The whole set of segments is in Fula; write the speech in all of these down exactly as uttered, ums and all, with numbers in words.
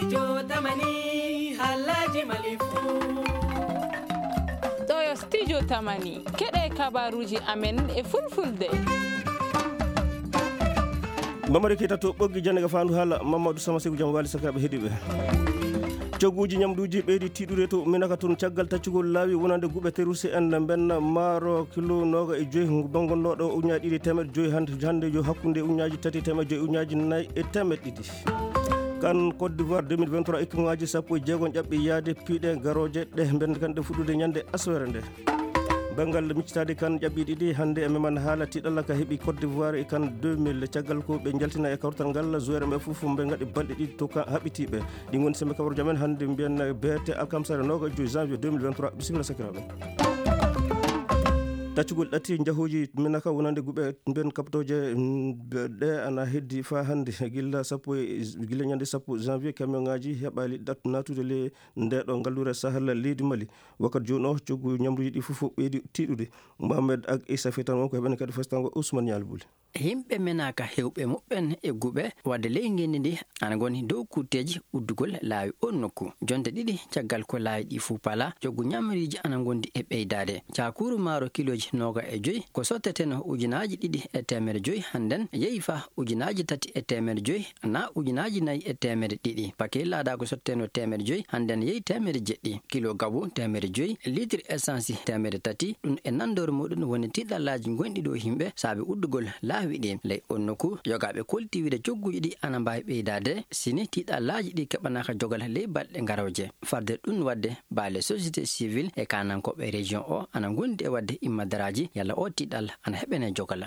Studio Tamani, halaji malifu. Ɗo yo Studio Tamani, keɗe kabaruji amen e fulfulde. Mamari Keita to ɓoggi jannde ga fandu hala Mamadou Sama Sekou Jam Wali sakiraɓe heɗiɓe. Cogguuji ñamduuji ɓeydi tiiɗude to Minaka toon caggal taccugol laawi wonande guɓe teruse en mbenna maaro kilo nooga e joyi, bangonnooɗo ujunnaaji ɗiɗi e teemeɗɗe joyi hannde, hannde yo hakkunde ujunnaaji tati e teemeɗɗe joyi, ujunnaaji nayi e teemeɗɗe ɗiɗi. Kan Côte d'Ivoire deux mille vingt-trois, équipe ŋaaji sappo e jeegom ƴaɓɓi yaade piiɗe garooje ɗe mbenna kan ɗe fuɗɗude ñande aswere nde. Banngal miccitaade kan ƴaɓɓi ɗiɗi hannde e meman haala tiiɗalla ka heɓi Côte d'Ivoire e kan deux mille. Caggal ko ɓe njaltina e kawtal ngal, joueur ɓe fof ɓe ngaɗi balɗe ɗiɗi to ka haɓɓitiiɓe. Ɗi ngoni sembe kabaruuji amen hannde mbiyen beete alkamsare nooga e joyi janvier deux mille vingt-trois. Bisimilla sakiraaɓe. Taccugol ɗati njahooji Minaka wonande guɓe mbiyen kaptooje, mm, ɗe ana heddi faa hannde. Gilla sappo e, gilla ñande sappo janvier, camion ŋaaji heɓaali ɗat-, naatude le nde ɗo ngallure Sahel leydi Mali. Wakkati jooni o, coggu ñamruuji ɗi fof ɓeydi tiiɗude. Mohamed Ag Issa Fitan wonko heɓen kadi fastango Ousmane Nial Bouli. Yimɓe Menaka hewɓe muɓɓen e guɓe wadde ley ngenndi ndi ana ngoni dow kutteeji uddugol laawi on nokku. Jonte ɗiɗi caggal ko laawi ɗi fuu pala, coggu ñamriiji ana ngondi e ɓeydaade. Cakuru maaro kilooji nooga e joyi ko sotteteno ujunaaji ɗiɗi e teemere joyi, hannden yehi faa ujunaaji tati e teemere joyi, na ujunaaji nayi e teemere ɗiɗi. Pakey laada ko sotteteno teemere joyi, hannden yehi teemere jeɗɗi. Kilo gabu teemere joyi, litre essence teemere tati, ɗum e nanndore muɗum woni tiiɗallaaji gonɗi ɗo yimɓe saabe uddugol laawi ɗi. Ley on nokku, yogaaɓe kolti wiide cogguuji ɗi ana mbaawi ɓeydaade, sini tiiɗallaaji ɗi keɓanaaka jogal ley balɗe garooje. Farde ɗum waɗde, baale société civile e kaanankooɓe région o ana ngondi e waɗde immadaraaji yalla o tiiɗal ana heɓene jogal.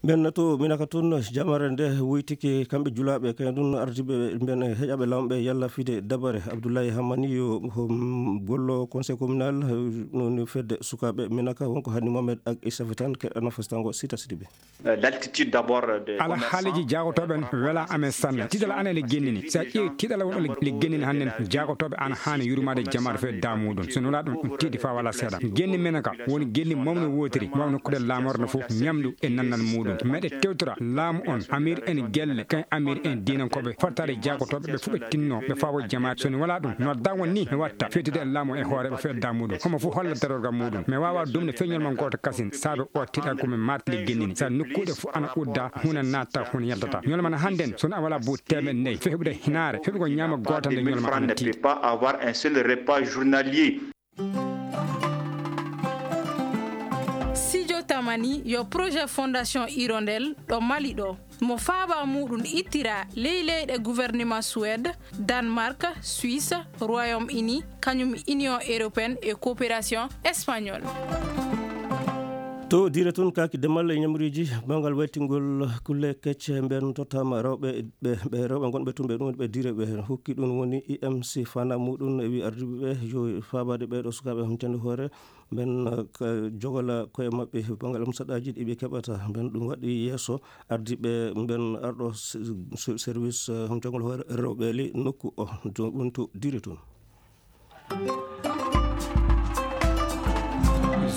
Ɓen to Minaka toon, jamare nde woytike kamɓe julaaɓe, kay ɗum ardiiɓe ɓen heƴaaɓe laamɓe yalla fide dabare. Abdoulaye Hamani yo, hom, gollo conseil communal, eh, no, no fedde sukaaɓe Minaka, wonko hani Mohamed Ag Issa Fitan keɗana fastango Sita Sidibe. Euh, l'altitude d'abord, euh, de Ala commerçants, haaleji jaagotooɓe en wela amen sanne. Tiiɗal ana ele gennini. Si a ƴeewi tiiɗal won ele, ele gennini hannden, jaagotooɓe ana haani yurmaade jamaare fee daamuɗum. So nula ɗum, ɗum tiiɗi faa wala seeɗa. Genni Menaka woni genni mawni wootiri, mawni kuɗel laamorde no fof, ñamdu e nannal muɗum. Meɗe tewtora laamu on, amir en gelle, kay amir en diinankooɓe, fartaade jaagotooɓe ɓe fof ɓe tinno, ɓe fawo jamaare. So ni wala ɗum, nodda won ni mi watta, fewtude e laamu e hooreeɓe fedda muɗum. Homo fof holla darorgal muɗum. Mi waawa dumde feñol mon gooto kasin, saabe o tiiɗal ko mi martili gennini. Sa nokkuuɗe fof ana udda, huuna natta, huuna yaltata. Ñolma na hannden, so a wala buuɗi teemeɗɗe nayi, fewɓe hinaare, fewɓe ko ñaama goota nde ñolma ana tiiɗi. Pas avoir un seul repas journalier. Sijo Tamani yo projet Fondation Hirondelle ɗo Mali ɗo. Mo faaba muɗum ittira ley leyɗe gouvernement Suède, Danemark, Suisse, Royaume-Uni, kañum Union européenne e coopération espagnole. To dire toon kaaki demal e ñamriiji, banngal waytingol kulle kecce mben tottama rewɓe, ɓe, ɓe rewɓe gonɓe toon ɓe ɗum ɓe dire ɓe hokki ɗum woni I M C fana muɗum e wi ardiiɓe ɓe yo faabaade ɓe ɗo sukaaɓe huntende hoore mben, eh, ka jogola koye maɓɓe banngal am saɗaaji ɗi ɓe keɓata mben ɗum waɗi yeeso ardiiɓe mben arɗo se-, se-, service, eh, jogol hoore rewɓe ley nokku o. To-, ɗum to dire toon.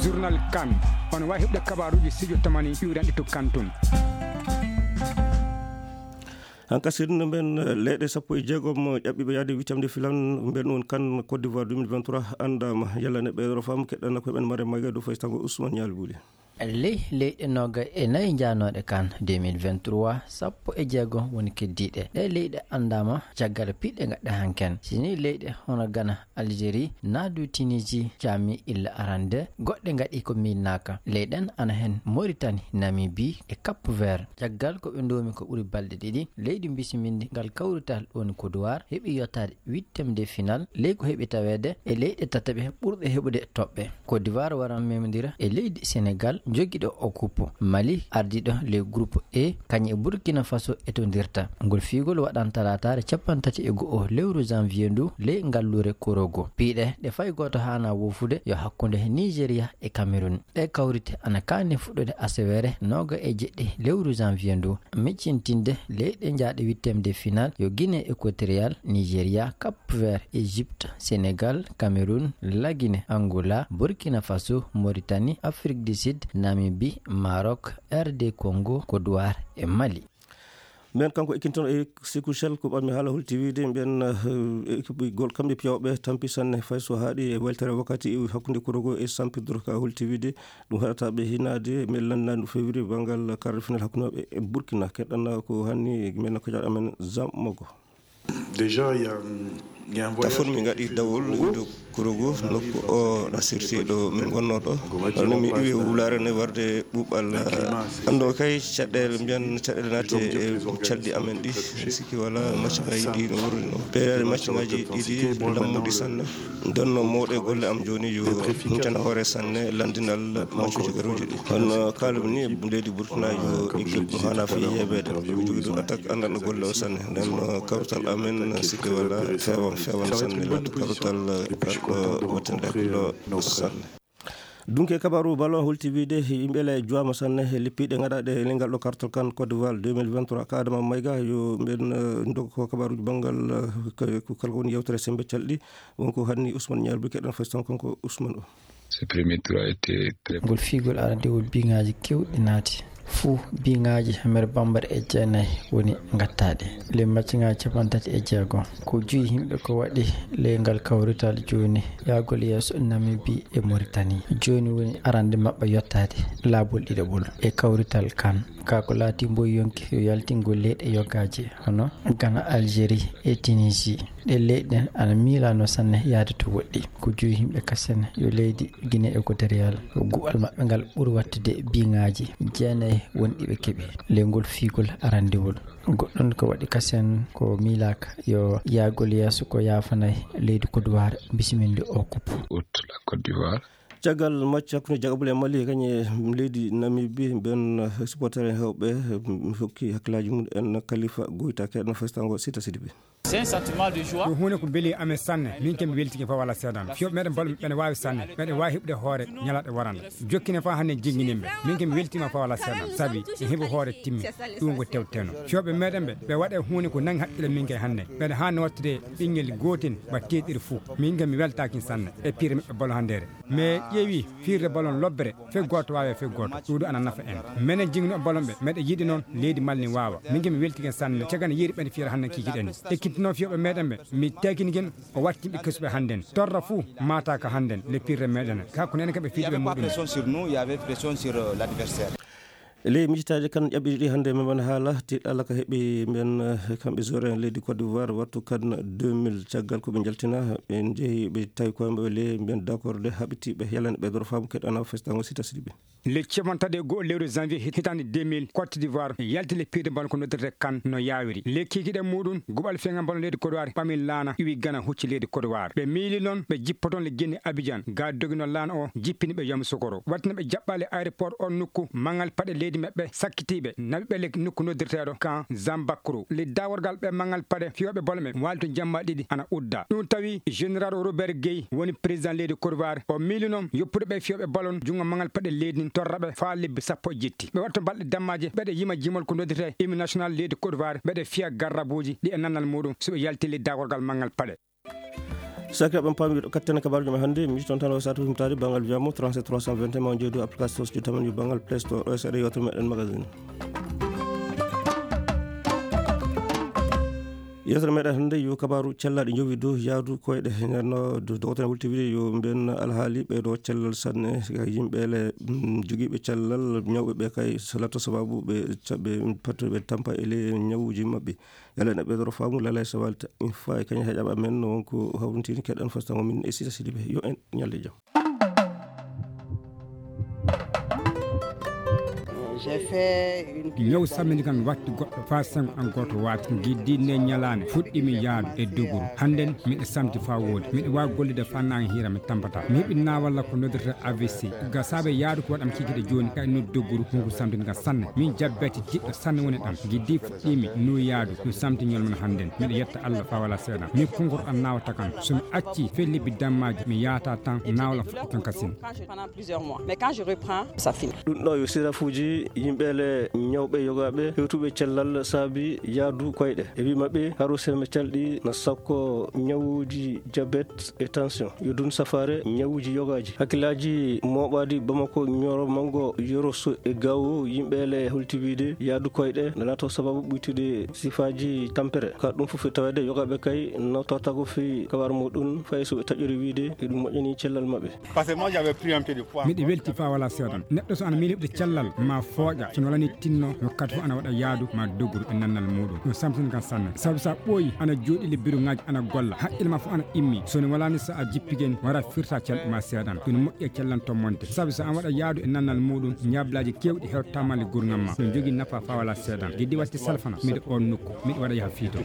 Journal Kan. On waawi heɓde kabaaruuji Sijo Tamani iwranɗe to Kan toon. Hankasirin mben, eh, leyɗe sappo e jeegom ƴaɓɓiiɓe yahde huitième de finale mben on Kan Côte d'Ivoire deux mille vingt-trois anndaama. Yalla ne ɓeeɗo fam keɗɗana ko ɓen mare magge dow faytango Ousmane Nial Bouli. Ley leyɗe nooga e nayi njaanooɗe Kan deux mille vingt-trois, sappo e jeego woni keddiiɗe. Ɗee leyɗe anndaama caggal piɗɗe ngaɗɗe hanken. Si nii leyɗe hono Gana, Algérie, naa du Tunisie caami illa arande, goɗɗe ngaɗi ko miilnaaka. Ley ɗen ana hen Mauritanie, Namibie e Cap Vert. Caggal ko ɓe ndoomi ko ɓuri balɗe ɗiɗi, leydi bisimindi ngal kawrital woni Côte d'Ivoire heɓi yottaade huitième de finale, ley ko heɓi taweede e leyɗe tataɓe ɓurɗe heɓude toɓɓe. Côte d'Ivoire waran memondira e leydi Sénégal jogiiɗo o kuppo. Mali ardiiɗo ley groupe E, kañum e Burkina Faso etondirta. Ngol fiigol waɗan talaataare cappanɗe tati e go'o lewru janvier ndu ley ngalluure Korogo. Piiɗe ɗe fay gooto haana woofude yo hakkunde Nigeria e Cameroun. Ɗee kawrite ana kaani fuɗɗude aseweere nooga e jeɗɗi lewru janvier ndu. Miccintinde leyɗe jaaɗe huitième de finale yo Guinée Équatoriale, Nigeria, Cap Vert, Égypte, Sénégal, Cameroun, La Guinée, Angola, Burkina Faso, Mauritanie, Afrique du Sud, Namibie, Maroc, R D Congo, Côte d'Ivoire e Mali. Mbiyen kanko ekkintono e Siku Shell ko ɓammi haala hol T V de, mbiyen, eh, ekipigol kamɓe piyawɓe tampi sanne fay so haaɗi e weltere wakkati iwi hakkunde kuro ngo e sampidoro ka hol T V de. Ɗum haɗata ɓe hinaade, mi lannani ɗum fewri banngal quart de finale hakkunde maɓɓe e Burkina. Keɗɗana ko hanni men ko jaɗa men Zam Mogo. Déjà, il y a, hum, il y a un voyage. Tafon min ngaɗi dawol iwde Kurogu, nokku o na sirti ɗo min ngonnoo ɗo. Kono mi iwi wulaare ne warde ɓuuɓal. Anndo kay caɗeele, mbiyan caɗeele naati e calɗi amen ɗi. Sikki wala maccaŋaaji ɗi no wurri no. Ɓeydaade maccaŋaaji ɗiɗi lammuɗi sanne. Donno mawɗo e golle am jooni yo huncana hoore sanne lanndinal maccuuji garuuji ɗi. Kono kaalumi ni leydi Burkina yo équipe mo hana fi yeebeede. Jogi ɗum attaque anndanɗo golle o sanne. Nden kawtal amen sikki wala fewan, fewan sanne, laata kawtal, eh, wattande hakkiilo sanne. Dunke kabaru ballon holti wiide yimɓe le juwama sanne e lippiɗe gaɗaɗe e lengal ɗo kartal kan Côte d'Ivoire deux mille vingt-trois. Ka Adama Mayga yo mben, eh, ndog ko kabaruji banngal, eh, ko, ko kala ko woni yewtere sembe calɗi. Wonko hanni Ousmane Niarbi keɗen fasitan konko Ousmane o. Ce premier tour a été très bon. Ngol fiigol arandewol biŋaaji kewɗi naati. Fuu biŋaaji teemedere bambara e jeenayi woni ngattaaɗe. Ley maccaŋaaji cappanɗe tati e jeego, ko joyi yimɓe ko waɗi ley ngal kawrital jooni yahgol yeeso Namibi e Moritani. Jooni woni arande maɓɓe yottaade laabol ɗiɗaɓol e kawrital kan. Kaa ko laati mboy yonki yo yaltingol leyɗe yogaaji hono Gana, Algérie e Tunisie. Ɗee leyɗe ɗen ana miilanoo sanne yahde to woɗɗi. Ko joyi yimɓe kasen yo leydi Guinée Équatoriale, ko guɓal maɓɓe ngal ɓuri waɗtude biŋaaji jeenayi wonɗi ɓe keɓi ley ngol fiigol arandewol. Goɗɗun ko waɗi kasen ko miilaaka yo yahgol yeeso ko yaafanay leydi Côte d'Ivoire bisiminde o kuppu. Août, la Côte d'Ivoire. Caggal macca hakkunde Jagabule e Mali, kañum e leydi Namibie, ɓen supporter en heewɓe, mm, hokki hakkillaaji mum en Khalifa Goita, keɗen fasitango Sita Sidibé. C'est un sentiment de joie. Ko huunde ko beeli amen sanne. Min ke mi weltike fa wala seedan. Fiyooɓe meɗen bal meɗen waawi sanne. Meɗen waawi heɓude hoore ñalaaɗe warande. Jokkine fa hannde jingginimɓe. Min ke mi weltima fa wala seedan. Sabi mi heɓi hoore timmi. Ɗum ko tewteno. Fiyooɓe meɗen ɓe, ɓe waɗe huunde ko nangi haqqille min ke hannde. Meɗen haani wattude ɓinngel gootel ba teeɗiri fuu. Min ke mi weltaaki sanne. E pire meɓɓe balo handeere. Mi ƴeewi fiirde ballon lobbere, fee gooto waawe fee gooto. Ɗuuɗu ana nafa en. Menen jingno ballon ɓe, meɗen yiɗi noon leydi Mali ni waawa. Min ke mi weltike sanne, cagana yeeri ɓen fiyata hannde kikiɗen. Ekkitinoo fiyooɓe meɗen ɓe, mi tekinigel o wattimɓe kesuɓe hannden. Torra fuu maataaka hannden, le pire meɗen. Kaa ko nene kaɓe fiiduɓe muɗum. Pression sur nous, il y avait pression sur, euh, l'adversaire. E ley micitaaji kan ƴaɓɓiɗi ɗi hannde, men mbaɗa haala tiɗɗalla ka heɓi mbiyen, eh, kamɓe joueur en leydi Côte d'Ivoire, wattu kan deux mille, caggal ko ɓe njaltina, ɓe njehi, ɓe tawi koye maɓɓe ley mbiyen d'accord de haɓitiiɓe, yalani ɓe doro faamu keɗana festango Sita Sidibé. Le capanɗe tati e go'o lewru janvier hit-, hitaande deux mille, Côte d'Ivoire yalti le pire de ballon ko noddirte kan no yaawiri. Le kikiɗe muɗum, guɓal feŋa ballon leydi Côte d'Ivoire ɓami laana, iwi Gana hucci leydi Côte d'Ivoire. Ɓe miili noon, ɓe jippoton le genni Abidjan, ga dogino laana o, jippini ɓe Yamoussoukro. Wattina ɓe jaɓɓaali aéroport on nokku, mangal paɗe leydi maɓɓe sakkitiiɓe, naɓi ɓe le nokku noddirteeɗo kan Zambakro. Le daworgal ɓe mangal paɗe fiyooɓe ballon ɓe waali to jamma ɗiɗi ana udda. Ɗum tawi général Robert Gueye woni président leydi Côte d'Ivoire. O miili noon yoppude ɓe fiyooɓe ballon junngo mangal paɗe leydi ndin torra ɓe faa lebbi sappo e jetti. Ɓe waɗa to balɗe dammaaje, ɓeɗe yima jimol ko noddetee hymne national leydi Côte d'Ivoire, ɓeɗe fiya garrabuuji ɗi e nannal muɗum so ɓe yalti le daworgal mangal paɗe. Sakiraaɓe am, paami ɗo katten kabaaruuji men hannde, mi yitton tan o saatu himtaade banngal wiyamo trente-sept trois cent vingt et un, ma on jeydu application studio tamen yo banngal Play Store, o seeɗa yewtere meɗen magazine. Yewtere meɗen hannde yo kabaaru cellaaɗi njowi dow yaadu koyɗe. Nden no do-, dogotene wulti wiide yo mbiyen alhaali ɓe ɗo cellal sanne, yimɓe le, mm, jogiiɓe cellal, ñawɓe ɓe kay so latto sababu ɓe ca-, ɓe patto ɓe tampa e le ñawuuji maɓɓe. Yalla ene ɓeydoro faamu lala e sawalta. Min fayi kañum heƴaɓe amen wonko hawrintini keɗen fasitango min e Sita Sidibé. Yo en ñalde jam. J'ai fait une Ñaw sammini kan watti goɗɗo faa sengo an gooto waati. Giddi nde ñalaande fuɗɗimi yaadu e doguru. Hannden miɗo samti faa wooɗi. Miɗo waawi gollude faa naange hiira mi tampata. Mi heɓi naawalla ko noddirta A V C. Ga saabe yaadu ko waɗam kikiɗe jooni kay noddu doguru hunko samtin kan sanne. Min jabbati jiɗɗo sanne woni ɗam. Giddi fuɗɗimi no yaadu no samti ñol men hannden. Miɗo yetta Allah faa wala seeɗa. Mi konngol ɗam naawata kan. So mi acci fee lebbi dammaaji mi yaata tan naawla fuɗɗi kan kasin. Quand je, pendant plusieurs mois. Mais quand je reprends, ça finit. Ɗum ɗo yo sirafuuji Yimɓeele ñawɓe yogaaɓe hewtuɓe cellal saabi yaadu koyɗe. E wii maɓɓe, haru seme calɗi na sakko ñawuuji jabet e tension. Yo dun safaare ñawuuji yogaaji. Hakkillaaji mooɓaadi Bamako, Ñoro, Mango, Yoroso e Gawo, yimɓeele holti wiide yaadu koyɗe na laato sababu ɓuytude sifaaji tampere. Ka ɗum fof e taweede yogaaɓe kay no tawtago fii kabar muɗum, fay so ɓe taƴori wiide e ɗum moƴƴani cellal maɓɓe. Parce que moi, j'avais pris un peu de poids. Miɗo welti faa wala seeɗan. Neɗɗo so ana miili heɓde cellal, ma fooƴa. So no wala ni tinno, wakkati fof ana waɗa yaadu, ma doguru e nannal muɗum. Ɗum samtin kan sanne. Sabu sa ɓooyi, ana jooɗi le bureau ŋaaji, ana golla. Haqqille ma fof ana immi. So no wala ni sa a jippigen, wara firta cellal ma seeɗan. Ɗum moƴƴi e cellal tommonte. Sabu sa an waɗa yaadu e nannal muɗum, ñablaaji keewɗi hewtama le gurngal ma. Ɗum jogii nafa faa wala seeɗan. Giddi watti salfana, miɗo on nokku, miɗo waɗa yaha fiito.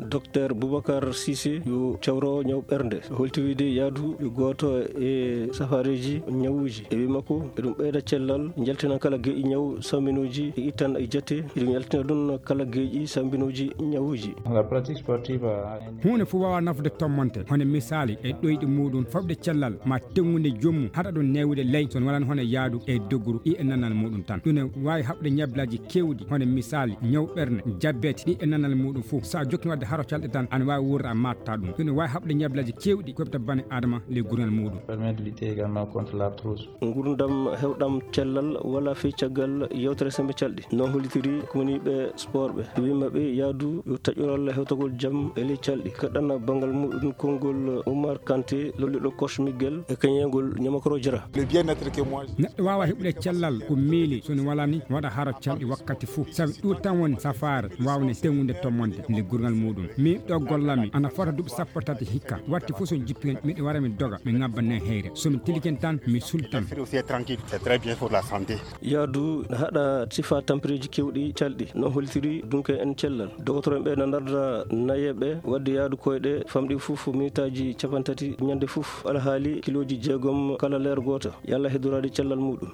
Docteur Boubacar Cissé, yo cawro ñaw ɓernde, holti wiide yaadu yo gooto e safareeji ñawuuji. E wii makko, eɗum ɓeyda cellal, jaltina kala geeƴi ñaw sambinuuji e ittan e jate. Eɗum yaltina ɗum kala geeƴi sambinuuji ñawuuji. La pratique sportive a... Huunde fof waawa nafude tommonte, hono misaali e ɗoyɗi muɗum, fawde cellal, ma teŋngude joomum, haɗa ɗum neewude ley, so wonaa hono yaadu e doguru, ɗi e nanal muɗum tan. Ɗum ne waawi haɓde ñablaaji keewɗi, hono misaali, ñaw ɓernde, jabet, ɗi e nanal muɗum fof. So a jokki waɗde haro calɗe tan, ana waawi wuurde a matta ɗum. Ɗum ne waawi haɓde ñablaaji keewɗi, koɓta bani Adama le gurnal muɗum. Permet de lutter également contre l'arthrose. Ngurndam hewɗam cellal wala fii caggal yewtere sembe calɗi. No hollitiri kumaniiɓe sport ɓe. Wii maɓɓe yaadu yo taƴoral hewtagol jam e ley calɗi. Kaɗana banngal muɗum konngol Oumar Kanté, lolliɗo coach Miguel e kañeengol ñamakoro jara. Le bien-être que moi... Neɗɗo waawa heɓude cellal ko miili, so no wala ni waɗa haro calɗi wakkati fof. Sabi ɗum tan woni safaare waawde teŋngude tommonde nde gurngal muɗum. Min ɗo gollami ana fota duuɓi sappo tati hikka. Watti fof so mi jippi hen, miɗo wara mi doga, mi ŋabba nen heyre. So mi tiliken tan, mi sultan. Aussi est tranquille, c'est très bien pour la santé. Yaadu na haɗa sifa tampereeji keewɗi calɗi, no hollitiri dunke en cellal. Dogotoro en ɓe na ndarda nayeeɓe waɗde yaadu koyɗe famɗi fof minitaaji capantati ñande fof, alhaali kilooji jeegom kala leer gooto. Yalla heddoraade cellal muɗum.